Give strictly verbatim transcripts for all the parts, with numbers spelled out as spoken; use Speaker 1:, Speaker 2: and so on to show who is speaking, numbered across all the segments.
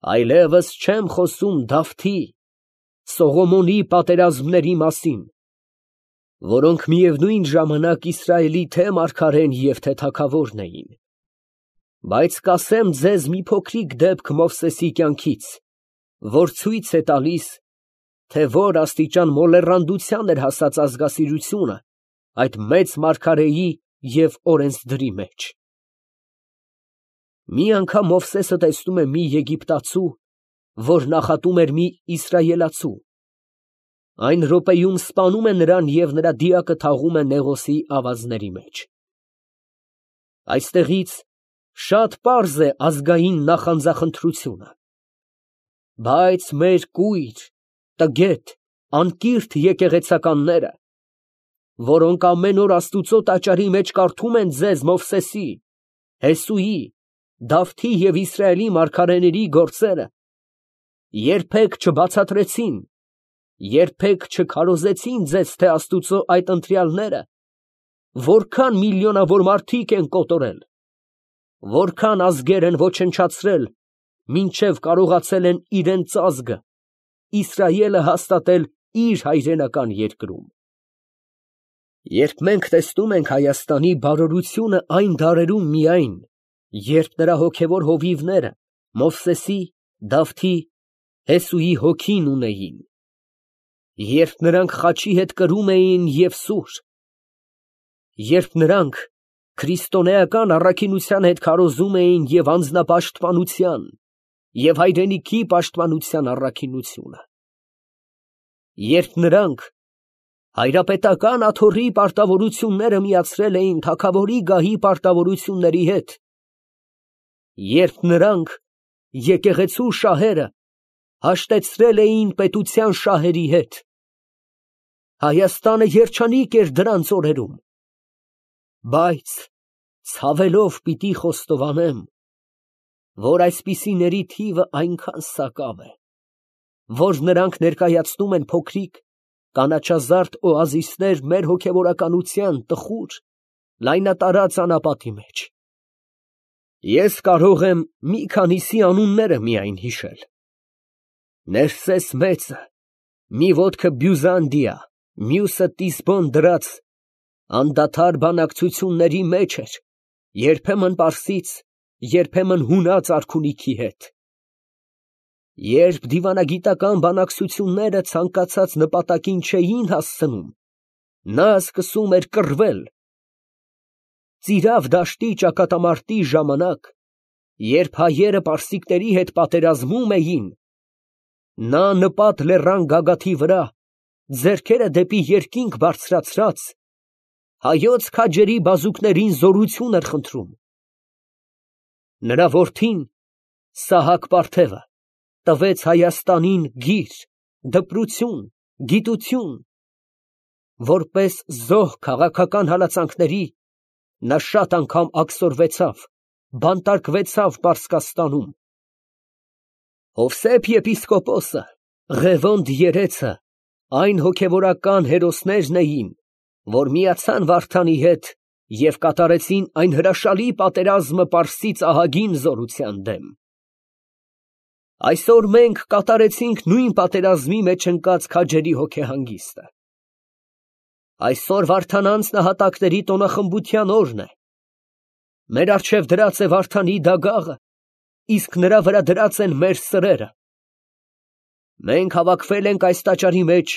Speaker 1: Այլևս չեմ խոսում Դավթի, Սողոմոնի պատերազմների մասին, որոնք միևնույն ժամանակ Իսրայելի թե մարգարեն և թե թագավորն էին, բայց կասեմ ձեզ մի փոքրիկ դեպք Մովսեսի կյանքից, որ ցույց է տալիս, թե որ աստիճան մոլեռանդության էր հասած ազգասիրությունը այդ մեծ մարգարեի և օրենսդրի մեջ։ Մի անգամ Մովսեսը տեսնում է մի եգիպտացու, որ նախատում էր մի իսրայելացու. այն րոպեում սպանում է նրան և նրա դիակը թաղում է Նեղոսի ավազների մեջ։ Այստեղից շատ պարզ է ազգային նախանձախնդրությունը։ Բայց մեր կույր, տգետ, անկիրթ եկեղեցականները, որոնք ամեն օր Աստուծո տաճարի մեջ կարդում են ձեզ Մովսեսի, Հեսուի, Դավթի և Իսրայելի մարգարեների գործերը, երբեք չբացատրեցին, երբեք չքարոզեցին ձեզ, թե Աստուծո այդ ընտրյալները որքան միլիոնավոր մարդիկ են կոտորել, որքան ազգեր են ոչնչացրել, մինչև կարողացել են իրենց ազգը, Իսրայելը հաստատել իր հայրենական երկրում։ Երբ մենք տեսնում ենք Հայաստանի բարօրությունը այն դարերում միայն, երբ նրա հոգևոր հովիվները Մովսեսի, Դավթի, Հեսուի հոգին ունեին, երբ նրանք խաչի հետ կրում էին և սուր, երբ նրանք քրիստոնեական առաքինության հետ քարոզում էին և անձնապաշտպանության, և հայրենիքի պաշտպանության առաքինությունը, երբ նրանք հայրապետական աթոռի պարտավորությունները միացրել էին թագավորի գահի պարտավորությունների հետ, երբ նրանք եկեղեցու շահերը հաշտեցրել էին պետության շահերի հետ, Հայաստանը երջանիկ էր դրանց օրերում, բայց ցավելով պիտի խոստովանեմ, որ այսպիսիների թիվը այնքան սակավ է, որ նրանք ներկայացնում են փոքրիկ կանաչազարդ օազիսներ մեր հոգևորականության տխուր, լայնատարած անապատի մեջ։ Ես կարող եմ մի քանիսի անունները միայն հիշել. Ներսես մեծը, մի ոտքը Բյուզանդիա, մյուսը Տիսբոն դրած անդադար բանակցությունների մեջ էր, երբեմն պարսից, երբեմն հունած արքունիքի հետ։ Երբ դիվանագիտական բանակցությունները ցանկացած նպատակին չէին հասցնում, նա սկսում էր կռվել։ Ծիրավ դաշտի ճակատամարտի ժամանակ, երբ հայերը պարսիկների հետ պատերազմում էին, նա նպատ լեռան գագաթի վրա, ձեռքերը դեպի երկինք բարձրացրած, հայոց քաջերի բազուկներին զորություն էր խնդրում։ Նրա որդին Սահակ Պարթևը տվեց Հայաստանին գիր, դպրություն, գիտություն, որպես զոհ քաղաքական հալածանքների, նա շատ անգամ աքսորվեցավ, բանտարկվեցավ Պարսկաստանում։ Հովսեփ եպիսկոպոսը, Ղևոնդ երեցը, այն հոգևորական հերոսներն էին, որ միացան Վարդանի հետ և կատարեցին այն հրաշալի պատերազմը պարսից ահագին զորության դեմ։ Այսօր մենք կատարեցինք նույն պատերազմի մեջ ընկած քաջերի հոգեհանգիստը։ Այսօր Վարդանանց նահատակների տոնախմբության օրն է։ Մեր առջև դրած է Վարդանի դագաղը, իսկ նրա վրա դրած են մեր սրերը։ Մենք հավաքվել ենք այս տաճարի մեջ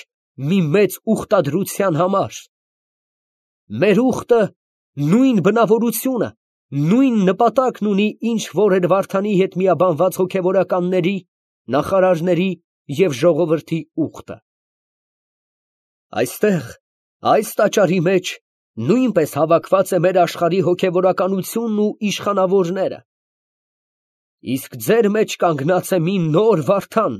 Speaker 1: մի մեծ ուխտադրության համար։ Մեր ուխտը նույն բնավորությունը, նույն նպատակն ունի, ինչ որ էր Վարդանի հետ միաբանված հոգևորականների, նախարարների և ժողովրդի ուխտը։ Այստեղ, այս տաճարի մեջ, նույնպես հավաքված է մեր աշխարհի հոգևորականությունն ու իշխանավորները։ Իսկ ձեր մեջ կանգնած է մի նոր Վարդան,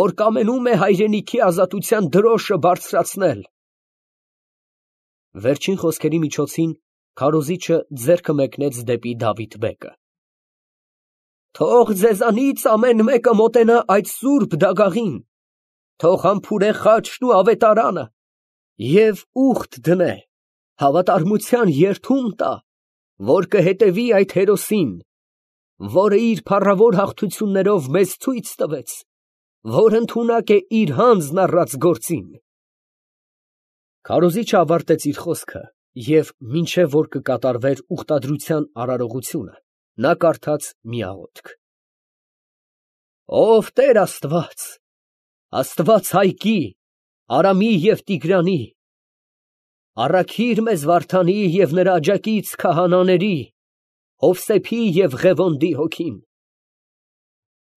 Speaker 1: որ կամենում է հայրենիքի ազատության դրոշը բարձրացնել։ Վերջին խոսքերի միջոցին քարոզիչը ձեռքը մեկնեց դեպի Դավիթ֊բեկը։ Թող ձեզանից ամեն մեկը մոտենա այդ սուրբ դագաղին, թող համբուրե խաչն ու ավետարանը և ուխտ դնե, հավատարմության երդում տա, որ կհետևի այդ հերոսին, որը իր փառավոր հաղթություններով մեզ ցույց տվեց, որ ընդունակ է իր հանձն առած գործին։ Քարոզիչը ավարտեց իր խոսքը և մինչև որ կկատարվեր ուխտադրության արարողությունը, նա կարդաց մի աղոթք. «Ով Տեր Աստված, Աստված Հայկի, Արամի և Տիգրանի, առաքիր մեզ Վարդանի և նրա աջակից քահանաների, Հովսեփի և Ղևոնդի հոգին,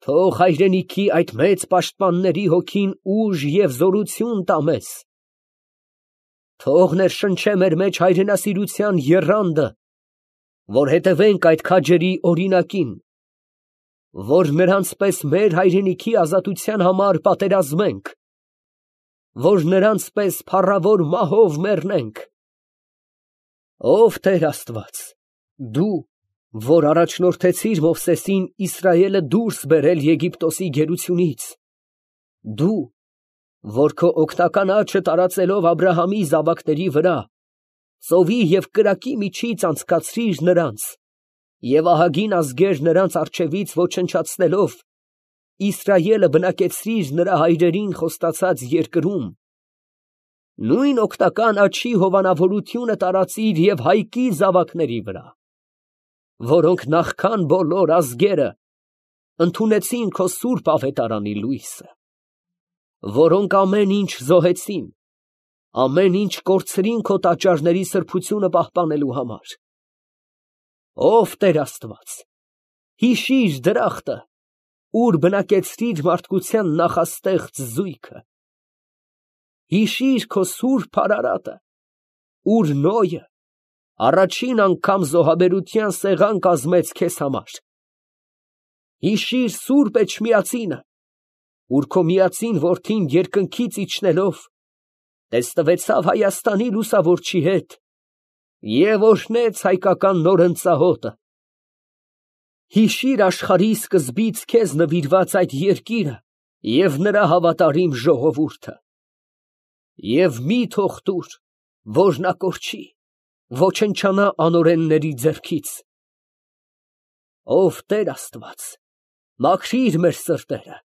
Speaker 1: թող հայրենիքի այդ մեծ պաշտպանների հոգին ուժ և զորություն տա մեզ, թող ներշնչե մեր մեջ հայրենասիրության եռանդը, որ հետևենք այդ քաջերի օրինակին, որ նրանց պես մեր հայրենիքի ազատության համար պատերազմենք, որ նրանց պես փառավոր մահով մեռնենք։ Ով Տեր Աստված, դու, որ առաջնորդեցիր Մովսեսին Իսրայելը դուրս բերել Եգիպտոսի գերությունից, դու, որ քո օգնական աջը տարածելով Աբրահամի զավակների վրա, ծովի և կրակի միջից անցկացրիր նրանց և ահագին ազգեր նրանց առջևից ոչնչացնելով, Իսրայելը բնակեցրիր նրա հայրերին խոստացած երկրում, նույն օգնական աջի հովանավորությունը տարածիր և Հայկի զավակների վրա, որոնք նախքան բոլոր ազգերը ընդունեցին քո սուրբ ավետարանի լույսը, որոնք ամեն ինչ զոհեցին, ամեն ինչ կորցրին քո տաճարների սրբությունը պահպանելու համար։ Ով Տեր Աստված, հիշիր դրախտը, ուր բնակեցրիր մարդկության նախաստեղծ զույգը, հիշիր քո սուրբ արարատը, ուր Նոյը առաջին անգամ զոհաբերության սեղան կազմեց քեզ համար, հիշիր սուրբ Էջմիածինը, ուր քո միածին որդին երկնքից իջնելով տեսնվեցավ Հայաստանի լուսավորչի հետ և օրհնեց հայկական նորընծահոտը, հիշիր աշխարհի սկզբից քեզ նվիրված այդ երկիրը և նրա հավատարիմ ժողովուրդը, և մի թող տուր, որ նա կորչի, ոչնչանա անօրենների ձեռքից։ Ով Տեր Աստված, մաքրիր մեր սրտերը,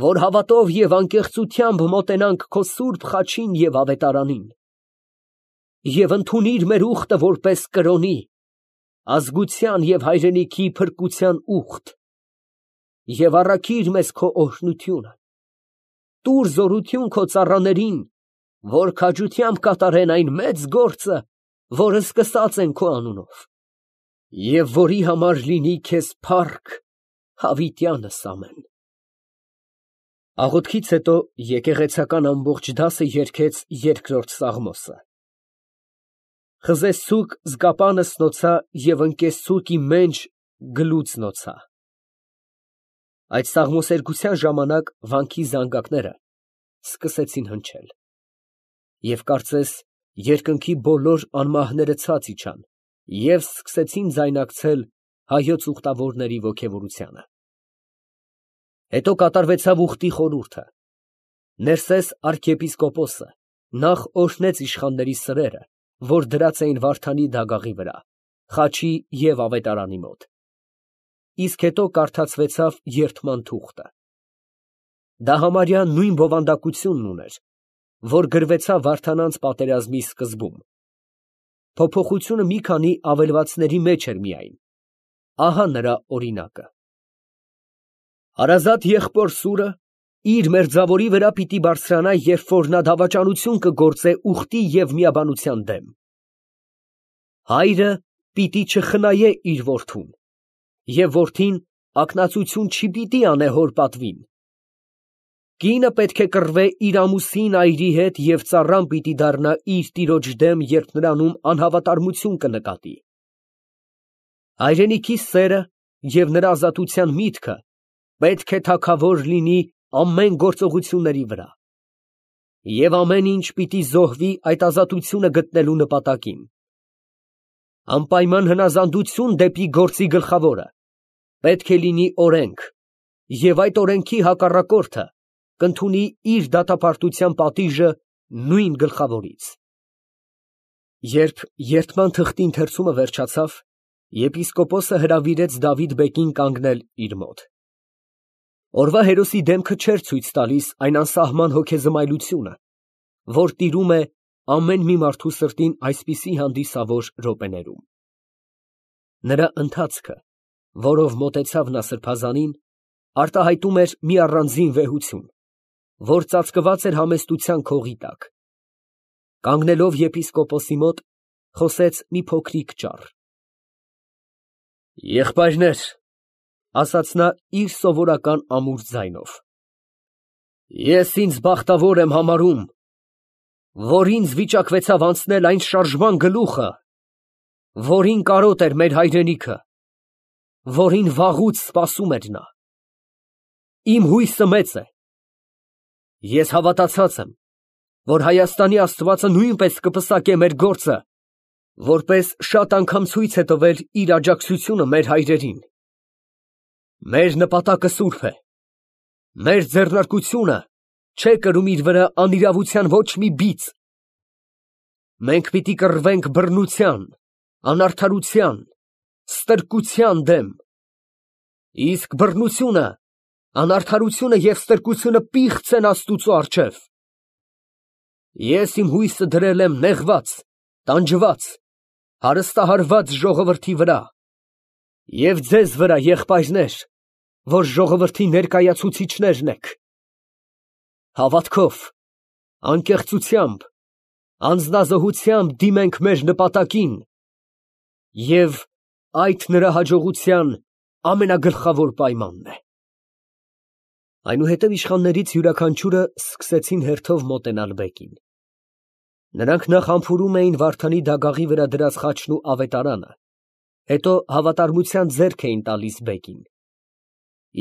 Speaker 1: որ հավատով և անկեղծությամբ մոտենանք քո սուրբ խաչին և ավետարանին, և ընդունիր մեր ուխտը որպես կրոնի, ազգության և հայրենիքի փրկության ուխտ, և առաքիր մեզ քո օրհնությունը, տուր զորություն քո ծառաներին, որ քաջությամբ կատարեն այն մեծ գործը, որը սկսած են քո անունով, և որի համար լինի քեզ փառք հավիտյանս ամեն»։ Աղոթքից հետո եկեղեցական ամբողջ դասը երգեց երկրորդ սաղմոսը. «Խզեսցուկ զգապանս նոցա և ընկեսցուկ իմ մենջ գլուծնոցա»։ Այդ սաղմոսերգության ժամանակ վանքի զանգակները սկսեցին հնչել, և կարծես երկնքի բոլոր անմահները ցած իջան և սկսեցին ձայնակցել հայոց ուխտավորների ոգևորությանը։ Հետո կատարվեցավ ուխտի խորհուրդը, Ներսես արքիեպիսկոպոսը նախ օրհնեց իշխանների սրերը, որ դրած էին Վարդանի դագաղի վրա, խաչի և ավետարանի մոտ, իսկ հետո կարդացվեցավ երդման թուղթը։ Դա համարյա նույն բովանդակությունն ուներ, որ գրվեցավ Վարդանանց պատերազմի սկզբում, փոփոխությունը մի քանի ավելվածների մեջ էր միայն, ահա նրա օրինակը. Հարազատ եղբոր սուրը իր մերձավորի վրա պիտի բարձրանա, երբ որ նա դավաճանություն կգործե ուխտի և միաբանության դեմ. հայրը պիտի չխնայե իր որդուն, և որդին ակնածություն չպիտի անե հոր պատվին. կինը պետք է կռվե իր ամուսին այրի հետ և ծառան պիտի դառնա իր տիրոջ դեմ, երբ նրանում անհավատարմություն կնկատի։ Հայրենիքի սերը և նրա ազատության միտքը պետք է թագավոր լինի ամեն գործողությունների վրա, և ամեն ինչ պիտի զոհվի այդ ազատությունը գտնելու նպատակին։ Անպայման հնազանդություն դեպի գործի գլխավորը պետք է լինի օրենք, և այդ օրենքի հակառակորդը կընդունի իր դատապարտության պատիժը նույն գլխավորից։ Երբ երդման թղթի ընթերցումը վերջացավ, Եպիսկոպոսը հրավիրեց Դավիթ֊բեկին կանգնել իր մոտ։ Օրվա հերոսի դեմքը չէր ցույց տալիս այն անսահման հոգեզմայլությունը, որ տիրում է ամեն մի մարդու սրտին այսպիսի հանդիսավոր րոպեներում։ Նրա ընթացքը, որով մոտեցավ նա սրբազանին, արտահայտում էր մի առանձին վեհություն, որ ծածկված էր համեստության քողի տակ։ Կանգնելով եպիսկոպոսի մոտ, խոսեց մի փոքրիկ ճառ։ «Եղբայրներ», ասաց նա իր սովորական ամուր ձայնով, «ես ինձ բախտավոր եմ համարում, որ ինձ վիճակվեցավ անցնել այն շարժման գլուխը, որին կարոտ էր մեր հայրենիքը, որին վաղուց սպասում էր նա։ Իմ հույսը մեծ է։ Ես հավատացած եմ, որ Հայաստանի Աստվածը նույնպես կպսակե մեր գործը, որպես շատ անգամ ցույց է տվել իր աջակցությունը մեր հայրերին։ Մեր նպատակը սուրբ է։ Մեր ձեռնարկությունը չէ կրում իր վրա անիրավության ոչ մի բիծ։ Մենք պիտի կռվենք բռնության, անարդարության, ստրկության դեմ։ Իսկ բռնությունը, անարդարությունը և ստրկությունը պիղծ են Աստուծո առջև։ Ես իմ հույսը դրել եմ նեղված, տանջված, հարստահարված ժողովրդի վրա և ձեզ վրա, եղբայրներ, որ ժողովրդի ներկայացուցիչներն եք։ Հավատքով, անկեղծությամբ, անձնազոհությամբ դիմենք մեր նպատակին և այդ նրա հաջողության ամենագլխավոր պայմանն է»։ Այնուհետև իշխաններից յուրաքանչյուրը սկսեցին հերթով մոտենալ բեկին։ Նրանք նախ համբուրում էին Վարդանի դագաղի վրա դրած խաչն ու ավետարանը, հետո հավատարմության ձեռք էին տալիս բեկին։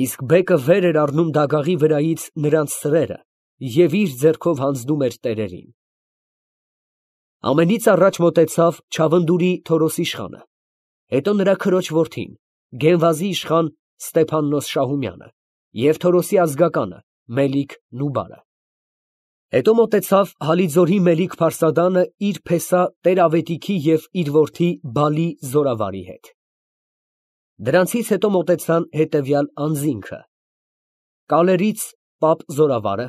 Speaker 1: Իսկ բեկը վեր էր առնում դագաղի վրայից նրանց սրերը և իր ձեռքով հանձնում էր տերերին։ Ամենից առաջ մոտեցավ Չավնդուրի Թորոս իշխանը, հետո նրա քրոջ որդին, Գենվազի իշխան Ստեփաննոս Շահումյանը և Թորոսի ազգականը Մելիք֊Նուբարը։ Հետո մոտեցավ Հալիձորի Մելիք Փարսադանը իր փեսա Տեր֊Ավետիքի և իր որդի Բալի զորավարի հետ։ Դրանցից հետո մոտեցան հետևյալ անձինքը. Կալերից Պապ զորավարը,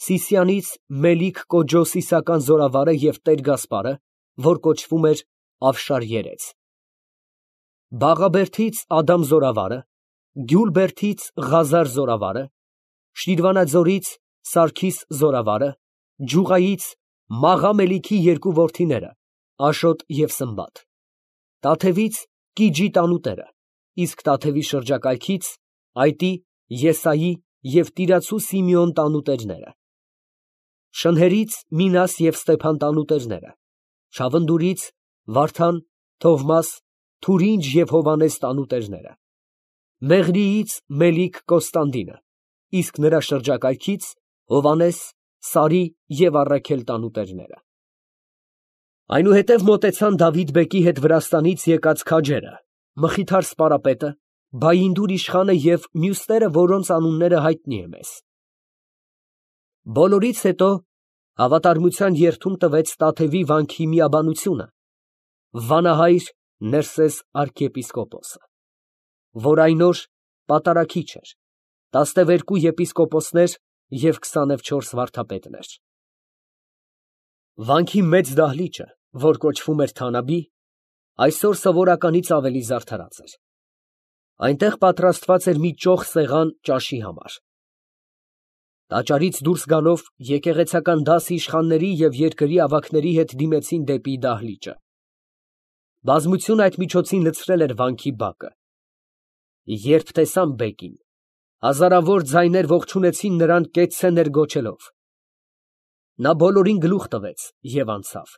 Speaker 1: Սիսյանից Մելիք Կոջո Սիսական զորավարը և Տեր Գասպարը, որ կոչվում էր Ավշար երեց, Բաղաբերդից Ադամ զորավարը, Գյուլբերդից Ղազար զորավարը, Շիրվանաձորից Սարգիս զորավարը, Ջուղայից Մաղա Մելիքի երկու որդիները Աշոտ և Սմբատ, Տաթևից Կիջի տանուտերը, իսկ Տաթևի շրջակայքից Այտի, Եսայի և Տիրացու Սիմեոն տանուտերները, Շնհերից Մինաս և Ստեփան տանուտերները, Չավնդուրից Վարդան, Թովմաս, Թուրինջ և Հովանես տանուտերները, Մեղրիից Մելիք Կոստանդինը, իսկ նրա շրջակայքից Հովանես, Սարի և Առաքել տանուտերները։ Այնուհետև մոտեցան Դավիթ֊բեկի հետ Վրաստանից եկած քաջերը, Մխիթար սպարապետը, Բայինդուր իշխանը և մյուսները, որոնց անունները հայտնի է մեզ։ Բոլորից հետո հավատարմության երդում տվեց Տաթևի վանքի միաբանությունը վանահայր Ներսես arքեպիսկոպոսը, որ այն օր պատարագիչ էր, տասնևերկու եպիսկոպոսներ և քսանուչորս վարդապետներ։ Վանքի մեծ դահլիճը, որ կոչվում էր Թանաբի, այսօր սովորականից ավելի զարդարած էր։ Այնտեղ պատրաստված էր մի ճոխ սեղան ճաշի համար։ Տաճարից դուրս գալով եկեղեցական դասը իշխանների և երկրի ավագների հետ դիմեցին դեպի դահլիճը։ Բազմությունը այդ միջոցին լցրել էր վանքի բակը։ Երբ տեսան բեկին, հազարավոր ձայներ ողջունեցին նրան կեցցե ներգոչելով։ Նա բոլորին գլուխ տվեց և անցավ։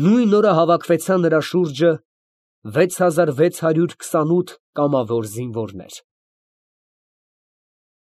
Speaker 1: Նույն օրը հավաքվեցան նրա շուրջը վեց հազար վեց հարյուր քսանութ կամավոր զինվորներ։